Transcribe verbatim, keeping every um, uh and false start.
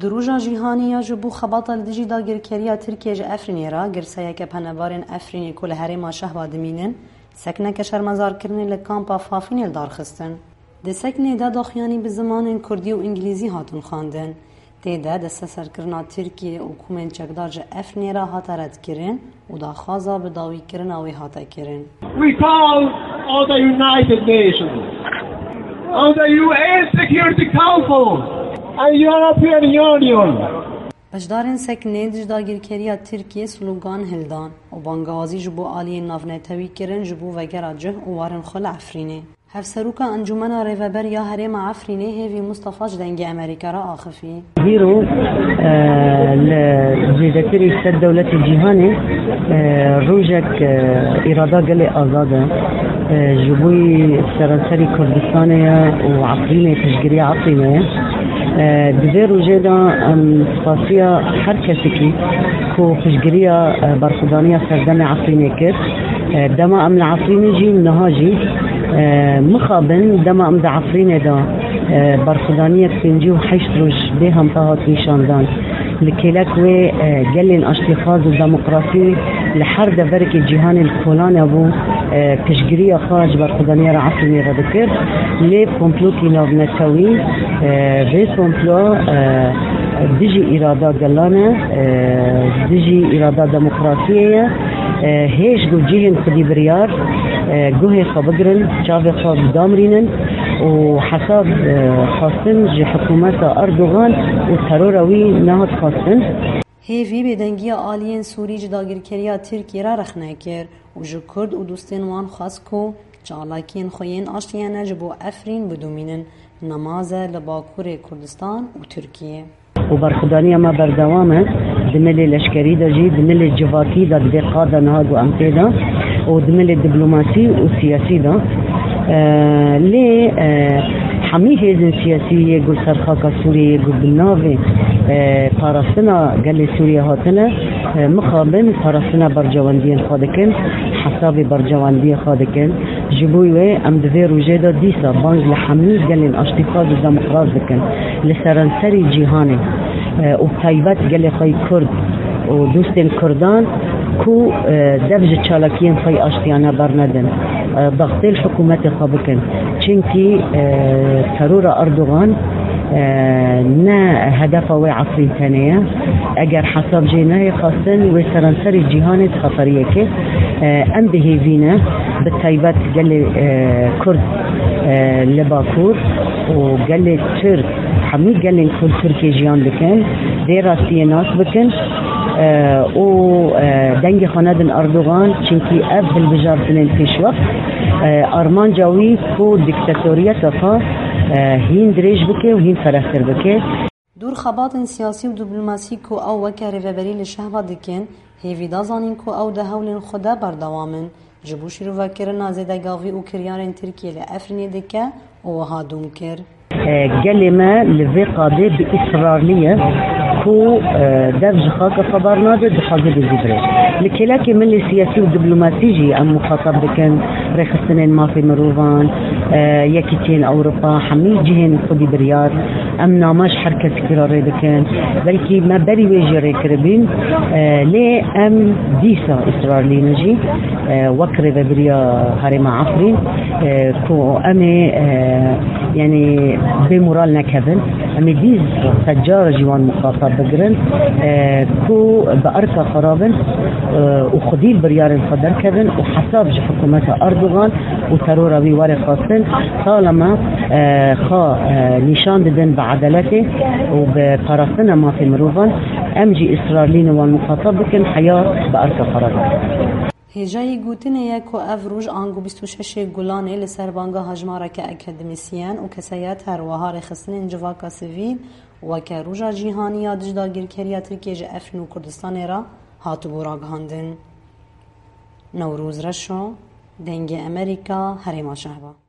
Di roja cîhanî ya ji bo xebata li dijî dagirkeriya Tirkiyê ji Efrînê re, girseyeke penaberên Efrînê ku li herêma Şehba dimînin, sekneke şermezarkirinê li kampa Fafînê li dar xistin. Di seknê de daxuyanî bi zimanên kurdî û îngilîzî hatin xwendin. Tê de desteserkirina Tirkiyê û komên çekdar ji Efrînê re hate redkirin û daxwaza bidawîkirina wê hate kirin. We call on the United Nations, on the U N Security Council and European Union. Beşdarên seknê dij dagirkeriya Tirkiyê slogan hildan û bangawazî ji bo aliyên navnetewî kirin ji bo vegera cih û warin xwe li Efrînê. Hevseroka Encûmena Rêveber ya Herêma Efrînê Hêvî Mustafa ji Dengê Amerîka re axifî. Îro, e, li zêdetirî sed dewletê cîhanê, e, rojek, e, îrada gelê azad e. E, ji bo seranserî Kurdistanê ye û Efrînê, piştgiriya Efrînê ye. E, di vê rojê de em spasiya her kesekî ku piştgiriya, e, berxwedaniya serdemê Efrînê kir. E, dema em li Efrînê jî, niha jî, e, mixabin dema em di Efrînê de, e, berxwedaniyek pêncî û heşt roj bê hempa hat nîşandan. Li kêlek wê, e, gelên aştîxwaz û demokrasî li her deverekê cîhanê li kolane bû, e, piştgiriya xwe ji berxwedaniya re Efrînê re dikir. Lê komplokî navnetewî, e, vê komplo, e, dijî îrada gelan e, e, dijî îrada demokrasiyê ye. E, hêj û cihên xwedî biryar, e, guhê xwe bigirin, çavê xwe bidamrînin û hesab, e, xwestin ji hikûmeta Erdogan û terora wî nehat xwestin. Hêvî bêdengiya aliyên Sûrî ji dagirkeriya Tirkiyê re rexne kir û ji Kurd û dostên wan xwest ku çalakiyên xwe yên aştiyane ji bo Efrîn bidomînin, nemaze li Bakurê Kurdistan û Tirkiyê. û berxwedaniya me berdewam e. Di milê leşkerî de jî, di milê civakî de, di vê qada niha ku em tê de û di milê diplomasî û siyasî de. E, lê, e, hemî hêzên siyasî yê ku li ser xaka Sûriyê yê ku bi navê, e, parastina gelê Sûriyê hatine, e, mixabin parastina bercewendiyên xwe dikin, hesabê bercewendiyê xwe dikin. Ji bo wê em di vê rojê de dîsa bang li hemî gelên aştîxwaz û demokrat dikin li seranserî cîhanê, e, û taybet gelê xwe yê Kurd û dostên Kurdan ku, e, dev ji çalakiyên xwe yê aştiyane bernedin, e, dextê li hikûmetê xwe bikin. Çimkî, e, terora Erdogan, e, ne hedefa wê Efrîn tenê ye. Eger hesab jê neyê xwestin, wê seranserî cîhanê di xeteriyekê. E, em bi hêvî ne, bi taybet gelê, e, Kurd, e, li Bakur û gelê Tirk, hemî gelên ku li Tirkiyê jiyan dikin, vê rastiyê nas bikin, e, û, e, dengê xwe nedin Erdogan, çimkî ev hilbijartinên pêşwext, e, armanca wî ku dîktatoriyeta xwe, e, hîn dirêj bike û hîn ferehtir bike. Dûr xebatên siyasî û diplomasî ku ew weke rêveberî li Şehba dikin, hêvî da zanîn ku ew di hewlên xwe de berdewam in, ji bo şîrovekirina zêdegavî û kiryarên Tirkiyê li Efrînê dike û wiha dûm kir. E, gelê me li vê qadê bi israrlî ye ku, e, dev ji xaka xwe bernade, dixwaze dizî bire. Li kêlekê milê siyasî û diplomasî jî em muxatab dikin, rêxistinên mafê mirovan, e, Yekîtiyên Ewropa, hemî cihên xwedî biryar, em name ji her kesekî re rê dikin. Belkî me berî wê jî rê kiribîn, e, lê em dîsa israrlî ne jî, e, wek rêvebiriya Herêma Efrîn, e, ku em ê, e, yanî bê moral nekevin. Em ê dîsa sedcar jî wan muxatab bigirin, e, ku bi erka xwe rabin, e, û xwedî li biryarên xwe derkevin û hesab ji hikûmeta Erdogan û terora wî were xwestin, talema, e, xwe, e, nîşan didin bi edaletê û bi parastina mafê mirovan, em jî israrlî ne wan muxatab bikin, heya bi erka xwe re bikin. Hêjayî gotinê ye ku ev roj ango bîst û şeşê Gulanê li ser banga hejmareke akademîsyen û kesayet, her wiha rêxistinên civaka sivîl weke Roja Cîhanî ya Dij Dagirkeriya Tirkiyê ji Efrîn û Kurdistanê re hatibû ragihandin. Newroz Reşo, Dengê Amerîka, Herêma Şehba.